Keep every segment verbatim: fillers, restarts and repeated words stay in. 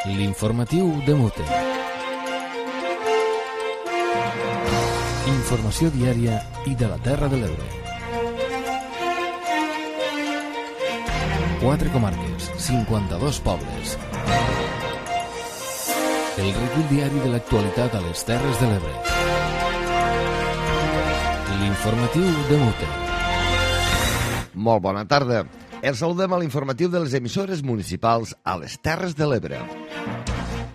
L'informatiu de Mute. Informació diària i de la Terra de l'Ebre. Quatre comarques, cinquanta-dos pobles. El recull diari de l'actualitat a les Terres de l'Ebre. L'informatiu de Mute. Molt bona tarda. Els saludem a l'informatiu de les emissores municipals a les Terres de l'Ebre.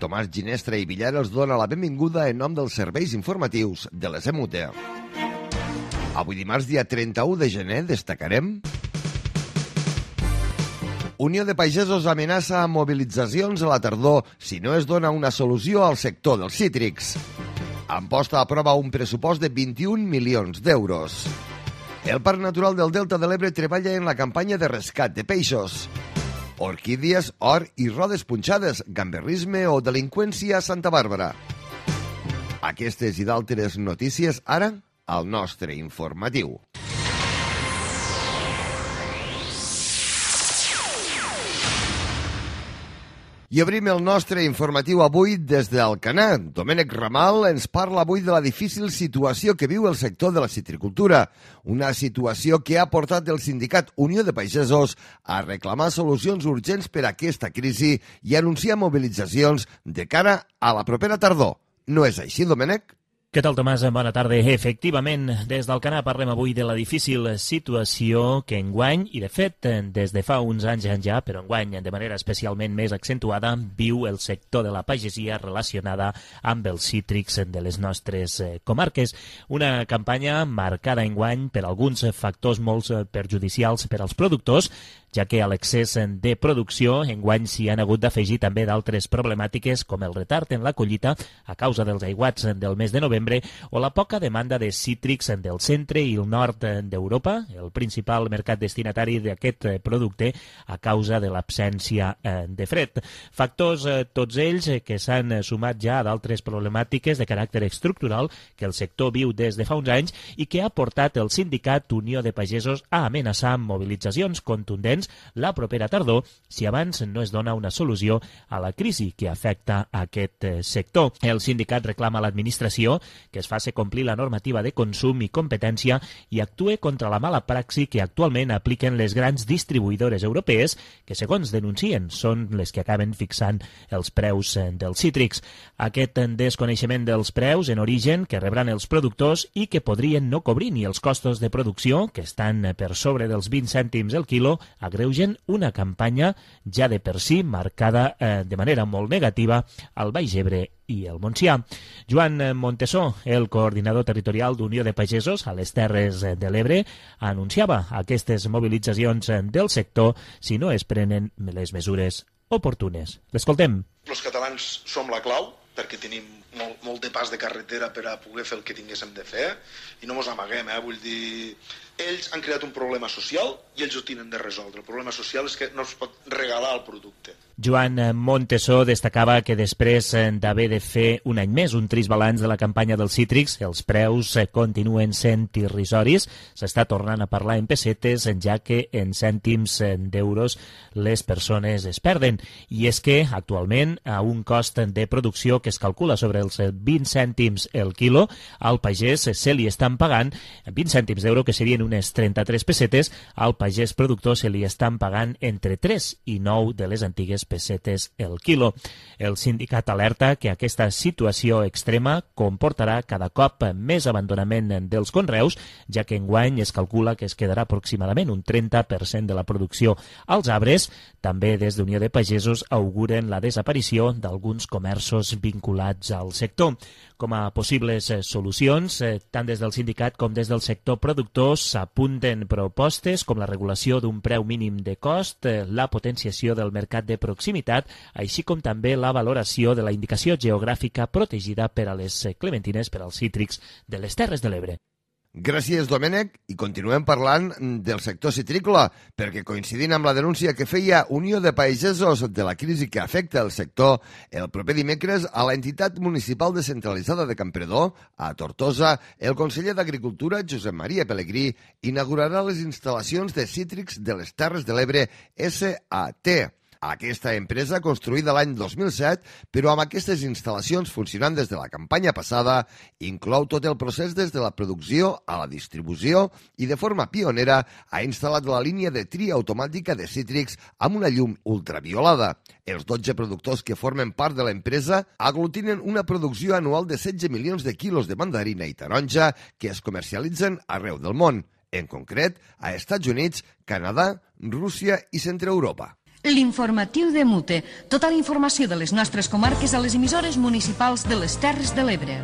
Tomàs Ginestra i Villar els dona la benvinguda en nom dels serveis informatius de les E M U T E. Avui dimarts, dia trenta-u de gener, destacarem: Unió de Pagesos amenaça amb mobilitzacions a la tardor si no es dona una solució al sector dels cítrics. Amposta aprova un pressupost de vint-i-un milions d'euros. El Parc Natural del Delta de l'Ebre treballa en la campanya de rescat de peixos. Orquídies, or i rodes punxades, gamberrisme o delinqüència a Santa Bàrbara. Aquestes i d'altres notícies ara al nostre informatiu. I obrim el nostre informatiu avui des d'Alcanar. Domènec Ramal ens parla avui de la difícil situació que viu el sector de la citricultura, una situació que ha portat el sindicat Unió de Pagesos a reclamar solucions urgents per a aquesta crisi i anunciar mobilitzacions de cara a la propera tardor. No és així, Domènec? Què tal, Tomàs? Bona tarda. Efectivament, des d'Alcanar parlem avui de la difícil situació que enguany, i de fet des de fa uns anys ja, però enguany de manera especialment més accentuada, viu el sector de la pagesia relacionada amb els cítrics de les nostres comarques. Una campanya marcada enguany per alguns factors molt perjudicials per als productors, ja que a l'excés de producció enguany s'hi han hagut d'afegir també d'altres problemàtiques com el retard en la collita a causa dels aiguats del mes de novembre o la poca demanda de cítrics del centre i el nord d'Europa, el principal mercat destinatari d'aquest producte a causa de l'absència de fred. Factors tots ells que s'han sumat ja a d'altres problemàtiques de caràcter estructural que el sector viu des de fa uns anys i que ha portat el sindicat Unió de Pagesos a amenaçar amb mobilitzacions contundents la propera tardor si abans no es dona una solució a la crisi que afecta aquest sector. El sindicat reclama a l'administració que es faci complir la normativa de consum i competència i actue contra la mala praxi que actualment apliquen les grans distribuïdores europees que, segons denuncien, són les que acaben fixant els preus dels cítrics. Aquest desconeixement dels preus en origen que rebran els productors i que podrien no cobrir ni els costos de producció, que estan per sobre dels vint cèntims el quilo, agreugen una campanya ja de per si marcada eh, de manera molt negativa al Baix Ebre i el Montsià. Joan Montesó, el coordinador territorial d'Unió de Pagesos a les Terres de l'Ebre, anunciava aquestes mobilitzacions del sector si no es prenen les mesures oportunes. L'escoltem. Els catalans som la clau perquè tenim molt, molt de pas de carretera per a poder fer el que tinguéssim de fer i no mos amaguem, eh? Vull dir, ells han creat un problema social i ells ho tenen de resoldre. El problema social és que no es pot regalar el producte. Joan Montesó destacava que després d'haver de fer un any més un trist balanç de la campanya dels cítrics, els preus continuen sent irrisoris, s'està tornant a parlar en pessetes, ja que en cèntims d'euros les persones es perden. I és que actualment a un cost de producció que es calcula sobre els vint cèntims el quilo, al pagès se li estan pagant vint cèntims d'euro, que serien unes trenta-tres pessetes, al pagès productor se li estan pagant entre tres i nou de les antigues pessetes el quilo. El sindicat alerta que aquesta situació extrema comportarà cada cop més abandonament dels conreus, ja que enguany es calcula que es quedarà aproximadament un trenta per cent de la producció als arbres. També des d'Unió de Pagesos auguren la desaparició d'alguns comerços vinculats al sector. Com a possibles solucions, tant des del sindicat com des del sector productor s'apunten propostes com la regulació d'un preu mínim de cost, la potenciació del mercat de proximitat, així com també la valoració de la indicació geogràfica protegida per a les clementines per als cítrics de les Terres de l'Ebre. Gràcies, Domènec, i continuem parlant del sector citrícola, perquè coincidint amb la denúncia que feia Unió de Pagesos de la crisi que afecta el sector, el proper dimecres a l'entitat municipal descentralitzada de Campredó, a Tortosa, el conseller d'Agricultura, Josep Maria Pelegrí, inaugurarà les instal·lacions de cítrics de les Terres de l'Ebre S A T. Aquesta empresa, construïda l'any dos mil set, però amb aquestes instal·lacions funcionant des de la campanya passada, inclou tot el procés des de la producció a la distribució i de forma pionera ha instal·lat la línia de tria automàtica de cítrics amb una llum ultraviolada. Els dotze productors que formen part de l'empresa aglutinen una producció anual de setze milions de quilos de mandarina i taronja que es comercialitzen arreu del món, en concret a Estats Units, Canadà, Rússia i Centreeuropa. L'informatiu de Mute. Tota la informació de les nostres comarques a les emissores municipals de les Terres de l'Ebre.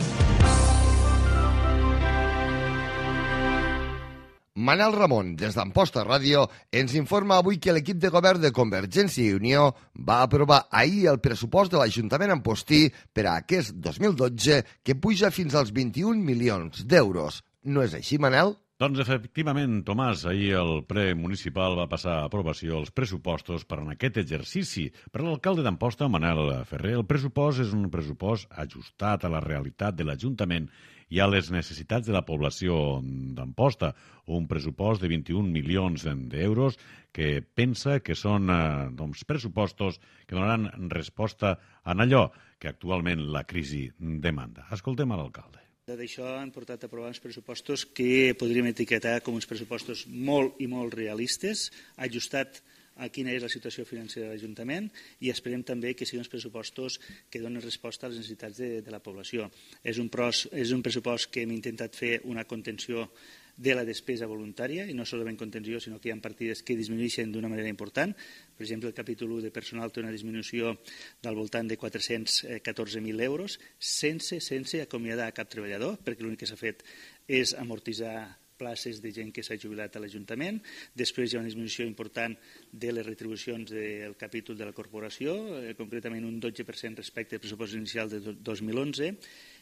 Manel Ramon, des d'Amposta Ràdio, ens informa avui que l'equip de govern de Convergència i Unió va aprovar ahir el pressupost de l'Ajuntament Ampostí per a aquest dos mil dotze, que puja fins als vint-i-un milions d'euros. No és així, Manel? Doncs efectivament, Tomàs, ahir el ple municipal va passar a aprovació els pressupostos per en aquest exercici. Per l'alcalde d'Amposta, Manel Ferrer, el pressupost és un pressupost ajustat a la realitat de l'Ajuntament i a les necessitats de la població d'Amposta. Un pressupost de vint-i-un milions d'euros que pensa que són eh, doncs, pressupostos que donaran resposta a allò que actualment la crisi demanda. Escoltem a l'alcalde. D'això han portat a aprovar uns pressupostos que podríem etiquetar com uns pressupostos molt i molt realistes, ajustat a quina és la situació financera de l'Ajuntament i esperem també que siguin uns pressupostos que donen resposta a les necessitats de, de la població. És un, pros, és un pressupost que hem intentat fer una contenció de la despesa voluntària, i no solament contenció, sinó que hi ha partides que disminueixen d'una manera important. Per exemple, el capítol u de personal té una disminució del voltant de quatre-cents catorze mil euros, sense, sense acomiadar a cap treballador, perquè l'únic que s'ha fet és amortitzar places de gent que s'ha jubilat a l'Ajuntament. Després hi ha una disminució important de les retribucions del capítol de la corporació, eh, concretament un dotze per cent respecte al pressupost inicial de dos mil onze.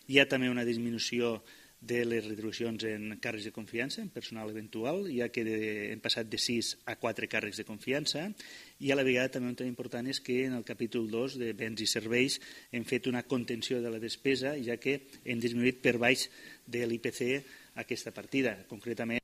Hi ha també una disminució de les retribucions en càrrecs de confiança, en personal eventual, ja que de, hem passat de sis a quatre càrrecs de confiança, i a la vegada també un tema important és que en el capítol dos de béns i serveis hem fet una contenció de la despesa, ja que hem disminuït per baix de l'I P C aquesta partida, concretament.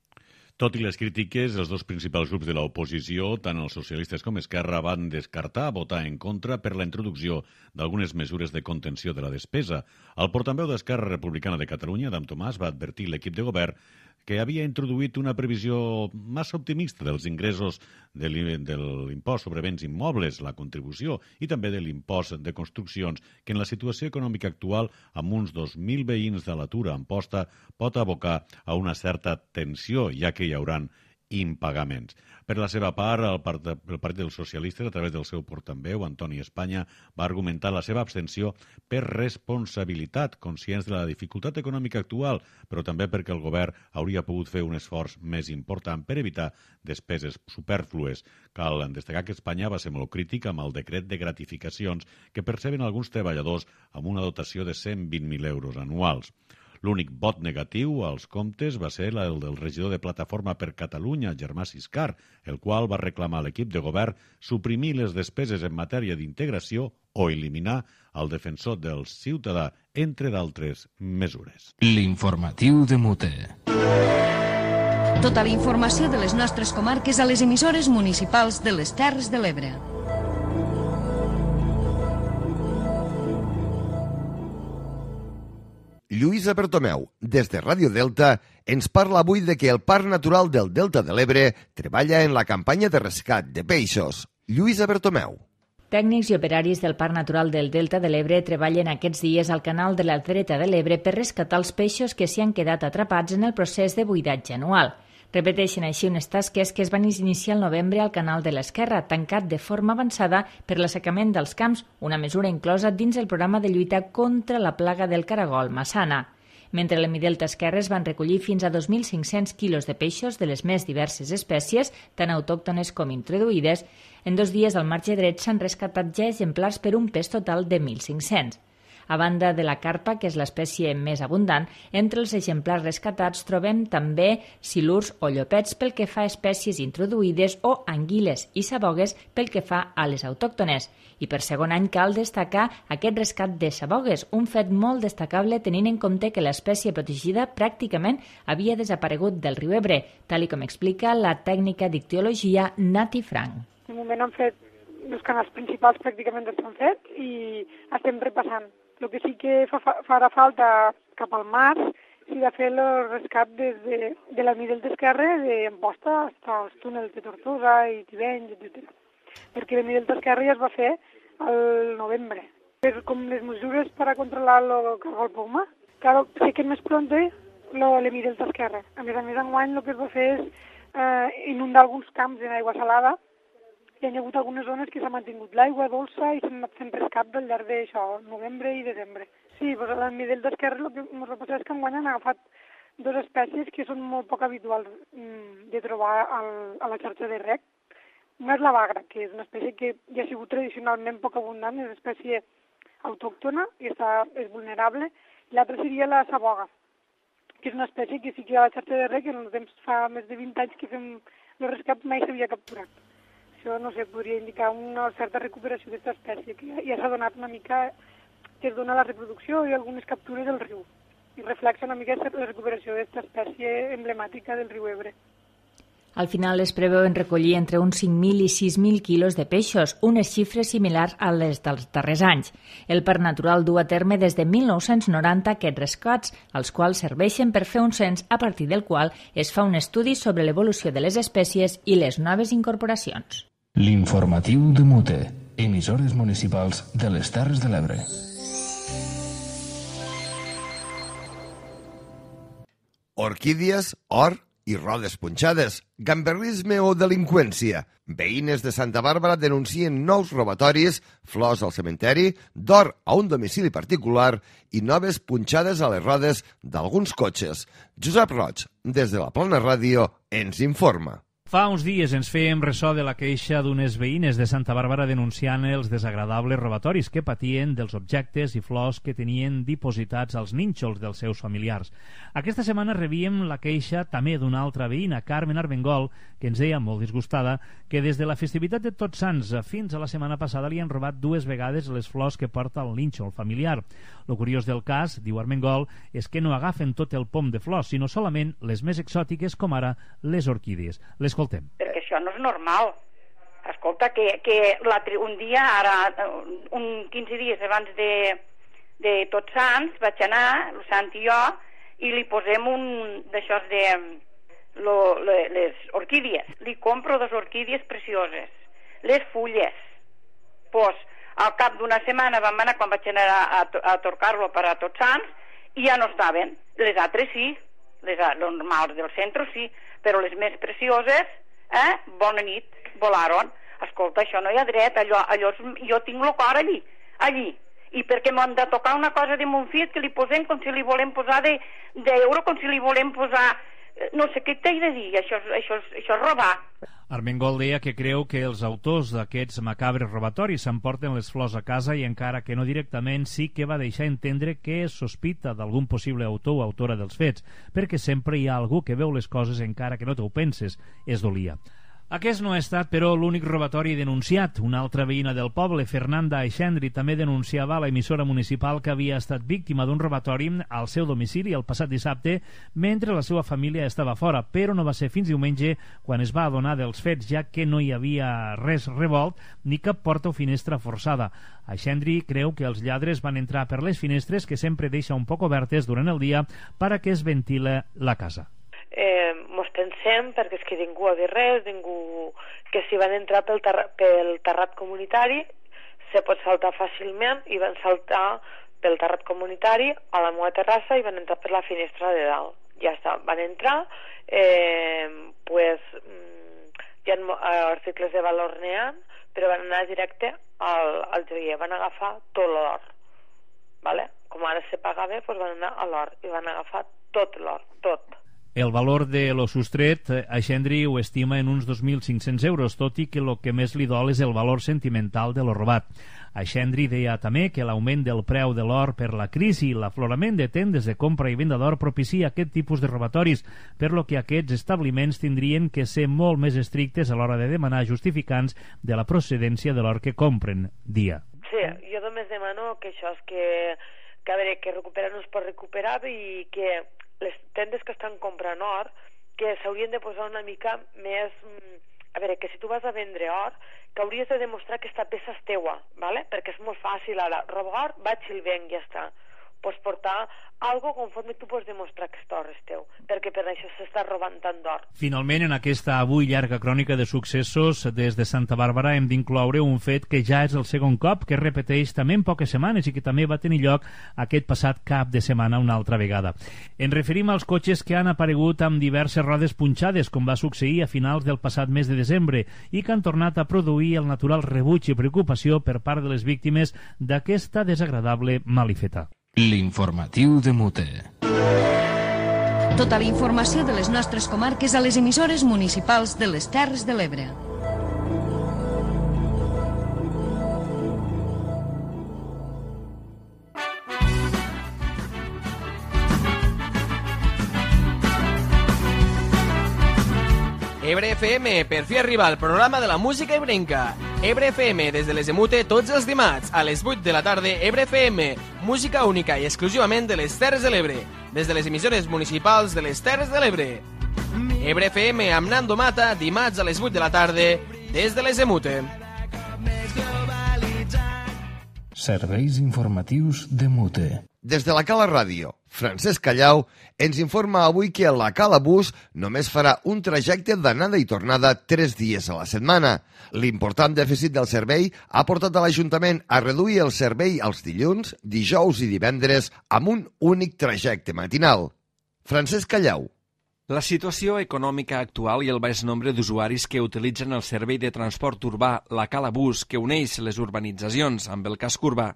Tot i les crítiques, els dos principals grups de l'oposició, tant els socialistes com Esquerra, van descartar votar en contra per la introducció d'algunes mesures de contenció de la despesa. El portaveu d'Esquerra Republicana de Catalunya, Adam Tomàs, va advertir l'equip de govern que havia introduït una previsió massa optimista dels ingressos de l'impost sobre béns immobles, la contribució, i també de l'impost de construccions, que en la situació econòmica actual, amb uns dos mil veïns de l'atur a Amposta, pot abocar a una certa tensió, ja que hi hauran impagaments. Per la seva part, el Partit dels Socialistes, a través del seu portaveu, Antoni Espanya, va argumentar la seva abstenció per responsabilitat, conscients de la dificultat econòmica actual, però també perquè el govern hauria pogut fer un esforç més important per evitar despeses supèrflues. Cal destacar que Espanya va ser molt crític amb el decret de gratificacions que perceben alguns treballadors amb una dotació de cent vint mil euros anuals. L'únic vot negatiu als comptes va ser el del regidor de Plataforma per Catalunya, Germà Siscar, el qual va reclamar a l'equip de govern suprimir les despeses en matèria d'integració o eliminar el defensor del ciutadà, entre d'altres mesures. L'informatiu de Mute. Tota la informació de les nostres comarques a les emissores municipals de les Terres de l'Ebre. Lluïsa Bertomeu, des de Ràdio Delta, ens parla avui de que el Parc Natural del Delta de l'Ebre treballa en la campanya de rescat de peixos. Lluïsa Bertomeu. Tècnics i operaris del Parc Natural del Delta de l'Ebre treballen aquests dies al canal de la dreta de l'Ebre per rescatar els peixos que s'hi han quedat atrapats en el procés de buidatge anual. Repeteixen així unes tasques que es van iniciar al novembre al canal de l'Esquerra, tancat de forma avançada per l'assecament dels camps, una mesura inclosa dins el programa de lluita contra la plaga del caragol massana. Mentre a l'Emidelta Esquerra es van recollir fins a dos mil cinc-cents quilos de peixos de les més diverses espècies, tant autòctones com introduïdes, en dos dies al marge dret s'han rescatat ja exemplars per un pes total de mil cinc-cents. A banda de la carpa, que és l'espècie més abundant, entre els exemplars rescatats trobem també silurs o llopets pel que fa a espècies introduïdes o anguiles i sabogues pel que fa a les autòctones. I per segon any cal destacar aquest rescat de sabogues, un fet molt destacable tenint en compte que l'espècie protegida pràcticament havia desaparegut del riu Ebre, tal com explica la tècnica d'ictiologia Nati Frank. De moment han fet els canals principals pràcticament estan fets i estem repassant. El que sí que fa, farà falta cap al març si de fer el rescat des de, de la Midel d'Esquerre d'Amposta fins als túnels de Tortosa i Tivenys, etcètera. Perquè la Midel d'Esquerre ja es va fer al novembre. Per com les mesures per a controlar el cargol poma, claro, sé que més pronto lo le Midel d'Esquerre. A més a més, enguany el que es va fer és eh, inundar alguns camps en aigua salada. Hi ha hagut algunes zones que s'ha mantingut l'aigua dolça i s'han anat fent rescat al llarg d'això, novembre i desembre. Sí, doncs a la Midel d'Esquerre el que ens passa és que enguany han agafat dues espècies que són molt poc habituals de trobar al, a la xarxa de rec. Una és la bagra, que és una espècie que ja ha sigut tradicionalment poc abundant, és una espècie autòctona i està, és vulnerable. L'altra seria la saboga, que és una espècie que sí que a la xarxa de rec, en el temps fa més de vint anys que fem el rescat, mai s'havia capturat. Això, no sé, podria indicar una certa recuperació d'aquesta espècie, que ja s'ha donat una mica, que es dona la reproducció i algunes captures del riu. I reflexa una mica la recuperació d'aquesta espècie emblemàtica del riu Ebre. Al final es preveuen recollir entre uns cinc mil i sis mil quilos de peixos, unes xifres similars a les dels darrers anys. El Parc Natural du a terme des de mil nou-cents noranta aquests rescats, els quals serveixen per fer un cens a partir del qual es fa un estudi sobre l'evolució de les espècies i les noves incorporacions. L'informatiu de Mute, emissores municipals de les Terres de l'Ebre. Orquídies, or i rodes punxades, gamberrisme o delinqüència. Veïnes de Santa Bàrbara denuncien nous robatoris, flors al cementeri, d'or a un domicili particular i noves punxades a les rodes d'alguns cotxes. Josep Roig, des de la Plana Ràdio, ens informa. Fa uns dies ens fèiem ressò de la queixa d'unes veïnes de Santa Bàrbara denunciant els desagradables robatoris que patien dels objectes i flors que tenien dipositats als nínxols dels seus familiars. Aquesta setmana rebíem la queixa també d'una altra veïna, Carmen Armengol, que ens deia molt disgustada que des de la festivitat de Tots Sants fins a la setmana passada li han robat dues vegades les flors que porta el nínxol familiar. Lo curiós del cas, diu Armengol, és que no agafen tot el pom de flors, sinó solament les més exòtiques com ara les orquídies. L'escoltem. Perquè això no és normal. Escolta, que, que un dia, ara, un quinze dies abans de, de Tots Sants, vaig anar, el Sant i jo, i li posem un d'això de lo, le, les orquídies. Li compro dos orquídies precioses. Les fulles. Pues, al cap d'una setmana vam anar, quan vaig anar a, a, a torcar-lo per a Tots Sants, i ja no estaven. Les altres sí, les normals del centre sí, però les més precioses, eh, bona nit, volaron. Escolta, això no hi ha dret, allò, allò jo tinc el cor allí, allí. I perquè m'han de tocar una cosa de mon fill que li posem com si li volem posar d'euro, com si li volem posar... No sé què t'he de dir, això, això, això és robar. Armengol deia que creu que els autors d'aquests macabres robatoris s'emporten les flors a casa i encara que no directament sí que va deixar entendre que es sospita d'algun possible autor o autora dels fets, perquè sempre hi ha algú que veu les coses encara que no t'ho penses, és dolia. Aquest no ha estat, però, l'únic robatori denunciat. Una altra veïna del poble, Fernanda Aixendri, també denunciava a l'emissora municipal que havia estat víctima d'un robatori al seu domicili el passat dissabte mentre la seva família estava fora, però no va ser fins diumenge quan es va adonar dels fets, ja que no hi havia res revolt ni cap porta o finestra forçada. Aixendri creu que els lladres van entrar per les finestres, que sempre deixa un poc obertes durant el dia per a que es ventila la casa. Eh, mos pensem perquè és que ningú ha dit res, ningú que si van entrar pel, terra, pel terrat comunitari se pot saltar fàcilment i van saltar pel terrat comunitari a la meva terrassa i van entrar per la finestra de dalt. Ja està, van entrar, eh, pues hi ha articles de valor neant, però van anar directe al, al joier, van agafar tot l'or, vale? Com ara se pagava, pues van anar a l'or i van agafar tot l'or, tot. El valor de lo sostret, Aixendri ho estima en uns dos mil cinc-cents euros, tot i que el que més li dol és el valor sentimental de lo robat. Aixendri deia també que l'augment del preu de l'or per la crisi i l'aflorament de tendes de compra i venda d'or propicia aquest tipus de robatoris, per lo que aquests establiments tindrien que ser molt més estrictes a l'hora de demanar justificants de la procedència de l'or que compren, dia. Sí, jo només demano que això és que, que a veure, que recuperar no es pot recuperar i que les tendes que estan comprant or que s'haurien de posar una mica més a veure, que si tu vas a vendre or, que hauries de demostrar que aquesta peça és teua, ¿vale? Perquè és molt fàcil ara, robar or, vaig i el venc, ja està. Pots portar algo conforme tu pots demostrar que aquest or és teu, perquè per això s'està robant tant d'or. Finalment, en aquesta avui llarga crònica de successos des de Santa Bàrbara hem d'incloure un fet que ja és el segon cop que es repeteix també en poques setmanes i que també va tenir lloc aquest passat cap de setmana una altra vegada. Ens referim als cotxes que han aparegut amb diverses rodes punxades, com va succeir a finals del passat mes de desembre, i que han tornat a produir el natural rebuig i preocupació per part de les víctimes d'aquesta desagradable malifeta. L'informatiu de Mute. Tota la informació de les nostres comarques a les emissores municipals de les Terres de l'Ebre. Ebre F M, per fi arriba el programa de la música ebrenca. Ebre F M, des de les Emute, tots els dimarts, a les vuit de la tarda, Ebre F M, música única i exclusivament de les Terres de l'Ebre, des de les emissores municipals de les Terres de l'Ebre. Ebre F M amb Nando Mata, dimarts a les vuit de la tarda, des de les Emute. Serveis informatius de Mute. Des de la Cala Ràdio, Francesc Callau ens informa avui que la Cala Bus només farà un trajecte d'anada i tornada tres dies a la setmana. L'important dèficit del servei ha portat a l'Ajuntament a reduir el servei als dilluns, dijous i divendres amb un únic trajecte matinal. Francesc Callau. La situació econòmica actual i el baix nombre d'usuaris que utilitzen el servei de transport urbà, la Cala Bus, que uneix les urbanitzacions amb el casc urbà,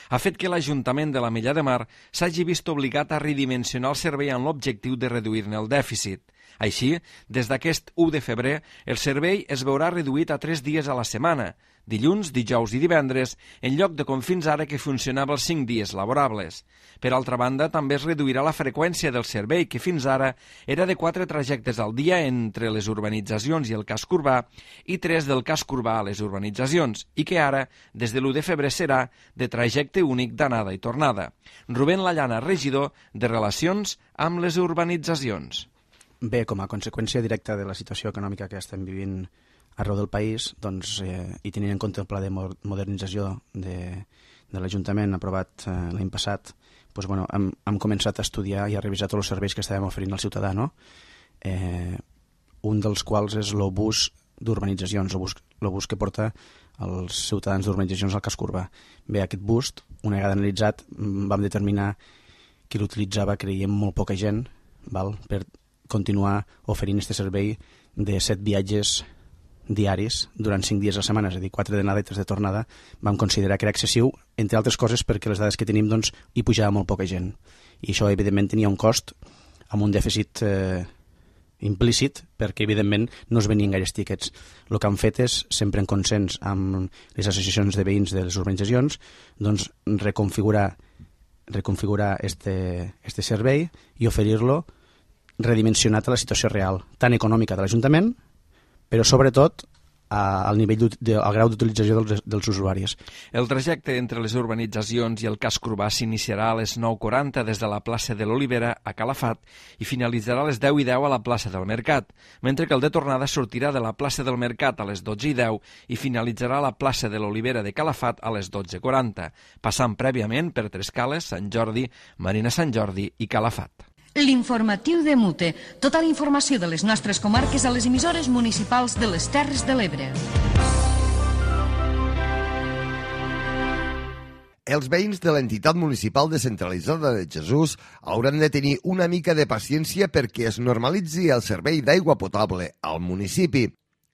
ha fet que l'Ajuntament de l'Ametlla de Mar s'hagi vist obligat a redimensionar el servei amb l'objectiu de reduir-ne el dèficit. Així, des d'aquest u de febrer, el servei es veurà reduït a tres dies a la setmana, dilluns, dijous i divendres, en lloc de com fins ara que funcionava els cinc dies laborables. Per altra banda, també es reduirà la freqüència del servei, que fins ara era de quatre trajectes al dia entre les urbanitzacions i el casc urbà i tres del casc urbà a les urbanitzacions, i que ara, des de l'u de febrer, serà de trajecte únic d'anada i tornada. Rubén Lallana, regidor de Relacions amb les Urbanitzacions. Bé, com a conseqüència directa de la situació econòmica que estem vivint arreu del país, doncs, eh, i tenint en compte el pla de modernització de, de l'Ajuntament aprovat eh, l'any passat, doncs, bueno, hem, hem començat a estudiar i a revisar tots els serveis que estàvem oferint al ciutadà, no? Eh, un dels quals és l'obús d'urbanitzacions, l'obús que porta els ciutadans d'urbanitzacions al casc urbà. Bé, aquest bus, una vegada analitzat, vam determinar que l'utilitzava, creiem, molt poca gent, val? Per continuar oferint aquest servei de set viatges diaris durant cinc dies a la setmana, és a dir, quatre d'anada i tres de tornada. Vam considerar que era excessiu, entre altres coses perquè les dades que tenim doncs, hi pujava molt poca gent. I això, evidentment, tenia un cost amb un dèficit eh, implícit, perquè, evidentment, no es venien gaires tíquets. El que han fet és, sempre en consens amb les associacions de veïns de les urbanitzacions, doncs, reconfigurar reconfigurar este, este servei i oferir-lo redimensionat a la situació real, tant econòmica de l'Ajuntament, però sobretot a, al nivell de, al grau d'utilització dels, dels usuaris. El trajecte entre les urbanitzacions i el casc urbà s'iniciarà a les nou quaranta des de la plaça de l'Olivera a Calafat i finalitzarà a les deu i deu a la plaça del Mercat, mentre que el de tornada sortirà de la plaça del Mercat a les dotze i deu i finalitzarà a la plaça de l'Olivera de Calafat a les dotze quaranta, passant prèviament per Trescales, Sant Jordi, Marina Sant Jordi i Calafat. L'informatiu de Mute. Tota la informació de les nostres comarques a les emissores municipals de les Terres de l'Ebre. Els veïns de l'entitat municipal descentralitzada de Jesús hauran de tenir una mica de paciència perquè es normalitzi el servei d'aigua potable al municipi.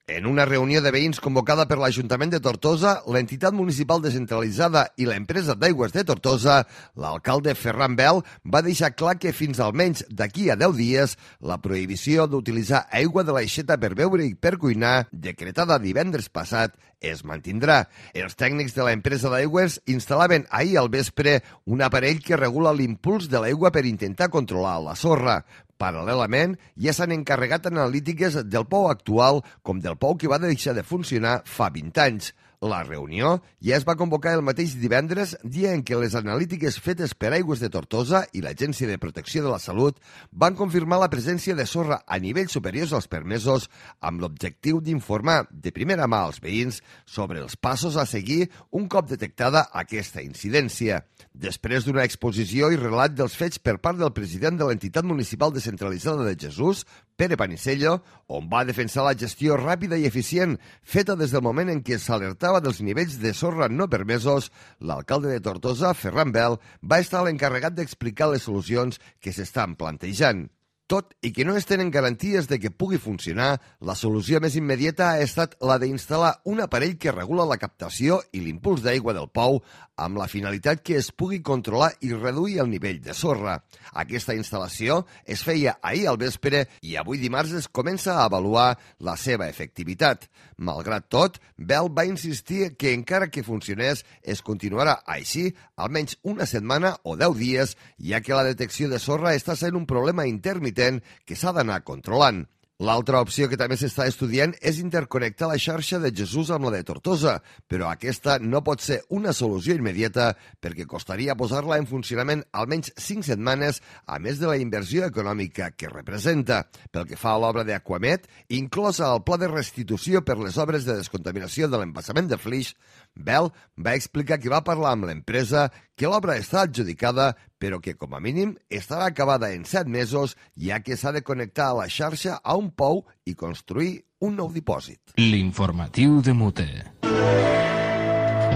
En una reunió de veïns convocada per l'Ajuntament de Tortosa, l'entitat municipal descentralitzada i l'empresa d'aigües de Tortosa, l'alcalde Ferran Bel va deixar clar que fins almenys d'aquí a deu dies la prohibició d'utilitzar aigua de l'aixeta per beure i per cuinar, decretada divendres passat, es mantindrà. Els tècnics de l'empresa d'aigües instal·laven ahir al vespre un aparell que regula l'impuls de l'aigua per intentar controlar la sorra. Paral·lelament, ja s'han encarregat analítiques del pou actual com del pou que va deixar de funcionar fa vint anys. La reunió ja es va convocar el mateix divendres, dia en què les analítiques fetes per Aigües de Tortosa i l'Agència de Protecció de la Salut van confirmar la presència de sorra a nivells superiors als permesos amb l'objectiu d'informar de primera mà als veïns sobre els passos a seguir un cop detectada aquesta incidència. Després d'una exposició i relat dels fets per part del president de l'entitat municipal descentralitzada de Jesús, Pere Panisello, on va defensar la gestió ràpida i eficient feta des del moment en què s'alertava dels nivells de sorra no permesos, l'alcalde de Tortosa, Ferran Bel, va estar l'encarregat d'explicar les solucions que s'estan plantejant. Tot i que no es tenen garanties de que pugui funcionar, la solució més immediata ha estat la d'instal·lar un aparell que regula la captació i l'impuls d'aigua del pou amb la finalitat que es pugui controlar i reduir el nivell de sorra. Aquesta instal·lació es feia ahir al vespre i avui dimarts es comença a avaluar la seva efectivitat. Malgrat tot, Bel va insistir que encara que funcionés es continuarà així almenys una setmana o deu dies, ja que la detecció de sorra està sent un problema intermitent que s'ha d'anar controlant. L'altra opció que també s'està estudiant és interconnectar la xarxa de Jesús amb la de Tortosa, però aquesta no pot ser una solució immediata perquè costaria posar-la en funcionament almenys cinc setmanes, a més de la inversió econòmica que representa. Pel que fa a l'obra d'Aquamet, inclosa el pla de restitució per les obres de descontaminació de l'embassament de Flix, Bel va explicar que va parlar amb l'empresa, que l'obra està adjudicada, però que com a mínim estarà acabada en set mesos, ja que s'ha de connectar a la xarxa a un pou i construir un nou dipòsit. L'informatiu de Mute.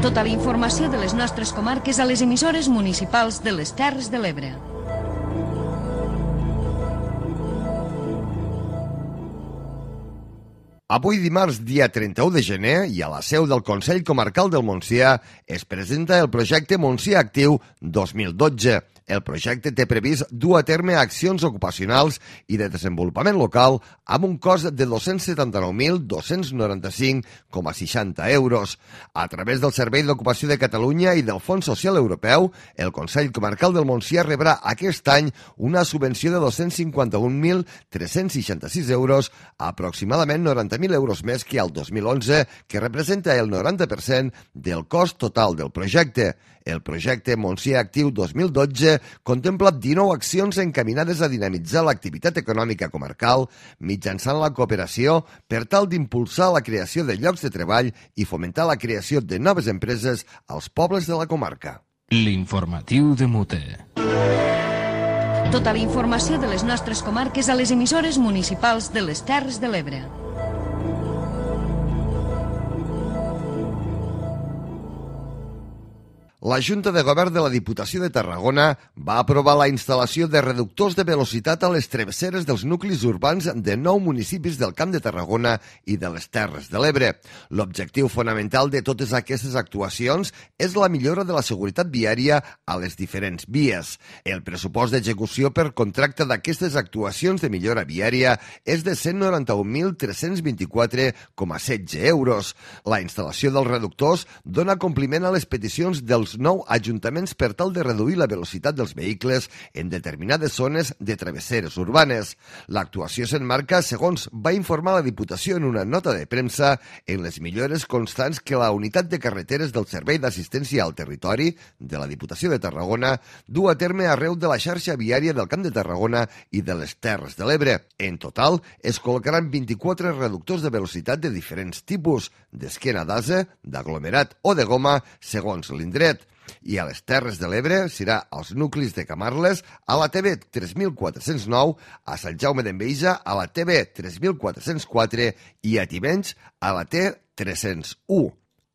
Tota la informació de les nostres comarques a les emissores municipals de les Terres de l'Ebre. Avui dimarts, dia trenta-u de gener, i a la seu del Consell Comarcal del Montsià es presenta el projecte Montsià Actiu dos mil dotze. El projecte té previst dur a terme accions ocupacionals i de desenvolupament local amb un cost de dos-cents setanta-nou mil dos-cents noranta-cinc coma seixanta euros. A través del Servei d'Ocupació de Catalunya i del Fons Social Europeu, el Consell Comarcal del Montsià rebrà aquest any una subvenció de dos-cents cinquanta-un mil tres-cents seixanta-sis euros, aproximadament noranta mil euros més que el dos mil onze, que representa el noranta per cent del cost total del projecte. El projecte Montsià Actiu dos mil dotze contempla dinou accions encaminades a dinamitzar l'activitat econòmica comarcal mitjançant la cooperació per tal d'impulsar la creació de llocs de treball i fomentar la creació de noves empreses als pobles de la comarca. L'informatiu de Mute. Tota la informació de les nostres comarques a les emissores municipals de les Terres de l'Ebre. La Junta de Govern de la Diputació de Tarragona va aprovar la instal·lació de reductors de velocitat a les travesseres dels nuclis urbans de nou municipis del Camp de Tarragona i de les Terres de l'Ebre. L'objectiu fonamental de totes aquestes actuacions és la millora de la seguretat viària a les diferents vies. El pressupost d'execució per contracte d'aquestes actuacions de millora viària és de cent noranta-un mil tres-cents vint-i-quatre coma setze euros. La instal·lació dels reductors dona compliment a les peticions dels nou ajuntaments per tal de reduir la velocitat dels vehicles en determinades zones de travesseres urbanes. L'actuació s'enmarca, segons va informar la Diputació en una nota de premsa, en les millores constants que la unitat de carreteres del Servei d'Assistència al Territori de la Diputació de Tarragona du a terme arreu de la xarxa viària del Camp de Tarragona i de les Terres de l'Ebre. En total, es col·locaran vint-i-quatre reductors de velocitat de diferents tipus, d'esquena d'ase, d'aglomerat o de goma, segons l'indret. I a les Terres de l'Ebre serà als nuclis de Camarles, a la T B tres mil quatre-cents nou, a Sant Jaume d'Enveja, a la T B tres mil quatre-cents quatre i a Tivenys, a la T tres-cents u.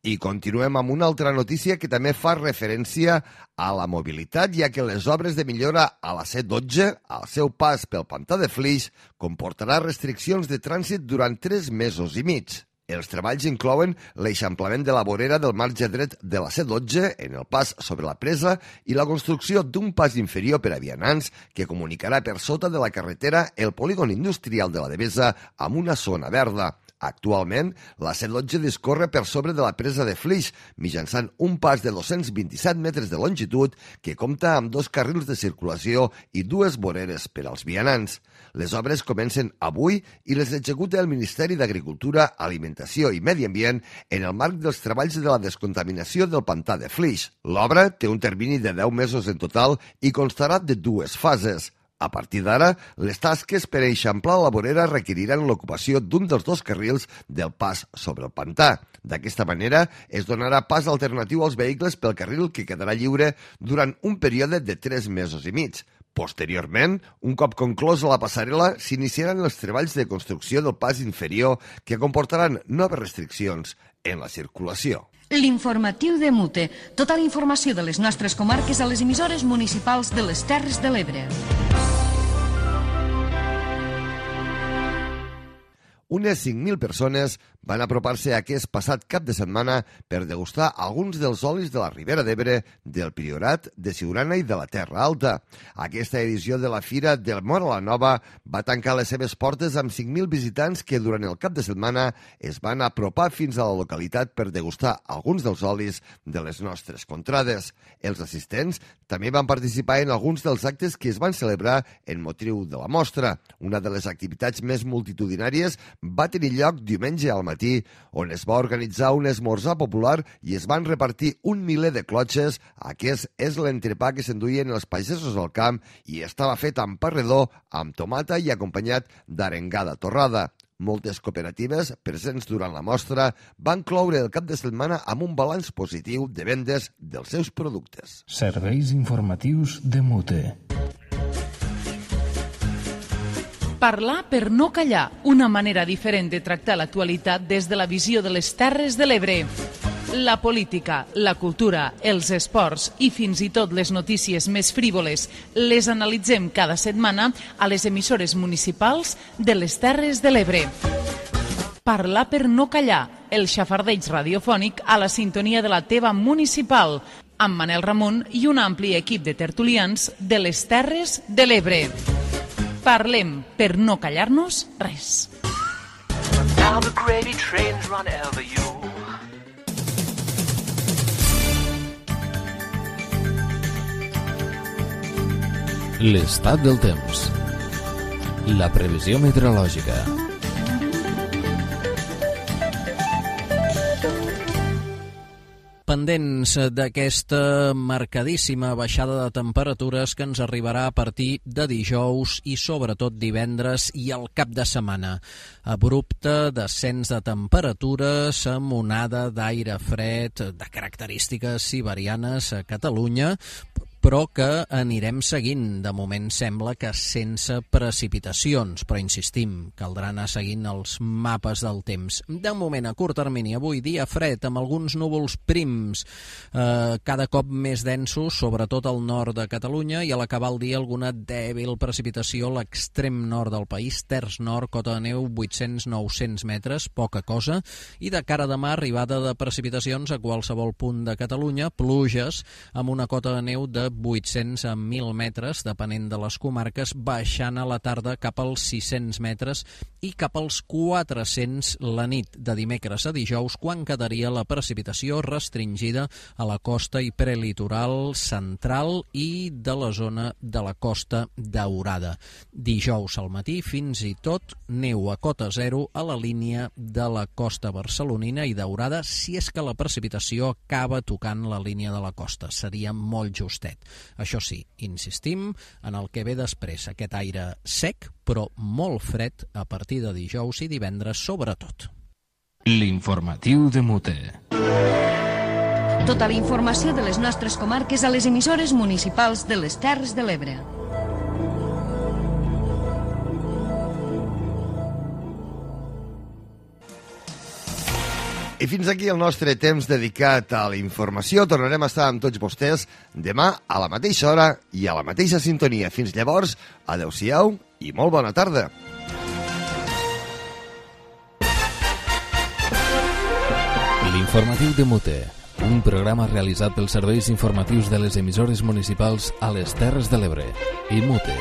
I continuem amb una altra notícia que també fa referència a la mobilitat, ja que les obres de millora a la C dotze, al seu pas pel pantà de Flix, comportarà restriccions de trànsit durant tres mesos i mig. Els treballs inclouen l'eixamplament de la vorera del marge dret de la C dotze en el pas sobre la presa i la construcció d'un pas inferior per a vianants que comunicarà per sota de la carretera el polígon industrial de la Devesa amb una zona verda. Actualment, la C dotze discorre per sobre de la presa de Flix, mitjançant un pas de dos-cents vint-i-set metres de longitud que compta amb dos carrils de circulació i dues voreres per als vianants. Les obres comencen avui i les executa el Ministeri d'Agricultura, Alimentació i Medi Ambient en el marc dels treballs de la descontaminació del pantà de Flix. L'obra té un termini de deu mesos en total i constarà de dues fases. A partir d'ara, les tasques per eixamplar la vorera requeriran l'ocupació d'un dels dos carrils del pas sobre el pantà. D'aquesta manera, es donarà pas alternatiu als vehicles pel carril que quedarà lliure durant un període de tres mesos i mig. Posteriorment, un cop conclosa la passarel·la, s'iniciaran els treballs de construcció del pas inferior que comportaran noves restriccions en la circulació. L'informatiu de Mute. Tota la informació de les nostres comarques a les emissores municipals de les Terres de l'Ebre. Unes cinc mil persones van apropar-se aquest passat cap de setmana per degustar alguns dels olis de la Ribera d'Ebre, del Priorat, de Siurana i de la Terra Alta. Aquesta edició de la Fira del Móra la Nova va tancar les seves portes amb cinc mil visitants que durant el cap de setmana es van apropar fins a la localitat per degustar alguns dels olis de les nostres contrades. Els assistents també van participar en alguns dels actes que es van celebrar en motiu de la mostra. Una de les activitats més multitudinàries va tenir lloc diumenge al matí, on es va organitzar un esmorzar popular i es van repartir un miler de clotxes. Aquest és l'entrepà que s'enduien els pagesos al camp i estava fet amb pa redó, amb tomata i acompanyat d'arengada torrada. Moltes cooperatives presents durant la mostra van cloure el cap de setmana amb un balanç positiu de vendes dels seus productes. Serveis informatius de Mute. Parlar per no callar, una manera diferent de tractar l'actualitat des de la visió de les Terres de l'Ebre. La política, la cultura, els esports i fins i tot les notícies més frívoles les analitzem cada setmana a les emissores municipals de les Terres de l'Ebre. Parlar per no callar, el xafardeig radiofònic a la sintonia de la teva municipal, amb Manel Ramon i un ampli equip de tertulians de les Terres de l'Ebre. Parlem per no callar-nos res. L'estat del temps. La previsió meteorològica. Pendents d'aquesta marcadíssima baixada de temperatures que ens arribarà a partir de dijous i sobretot divendres i el cap de setmana. Abrupte descens de temperatures amb onada d'aire fred de característiques siberianes a Catalunya, però que anirem seguint. De moment sembla que sense precipitacions, però insistim, caldrà anar seguint els mapes del temps. De moment, a curt termini, avui dia fred, amb alguns núvols prims, eh, cada cop més densos, sobretot al nord de Catalunya, i a l'acabar el dia alguna dèbil precipitació a l'extrem nord del país, terç nord, cota de neu vuit-cents a nou-cents metres, poca cosa, i de cara a demà arribada de precipitacions a qualsevol punt de Catalunya, pluges amb una cota de neu de vuit-cents a mil metres, depenent de les comarques, baixant a la tarda cap als sis-cents metres i cap als quatre-cents la nit de dimecres a dijous, quan quedaria la precipitació restringida a la costa i prelitoral central i de la zona de la Costa Daurada. Dijous al matí, fins i tot neu a cota zero a la línia de la costa barcelonina i daurada, si és que la precipitació acaba tocant la línia de la costa. Seria molt justet. Això sí, insistim en el que ve després, aquest aire sec, però molt fred a partir de dijous i divendres sobretot. L'informatiu de Mute. Tota la informació de les nostres comarques a les emissores municipals de les Terres de l'Ebre. I fins aquí el nostre temps dedicat a la informació. Tornarem a estar amb tots vostès demà a la mateixa hora i a la mateixa sintonia. Fins llavors, adeu-siau i molt bona tarda. L'informatiu de Mute, un programa realitzat pels serveis informatius de les emissores municipals a les Terres de l'Ebre i Mute.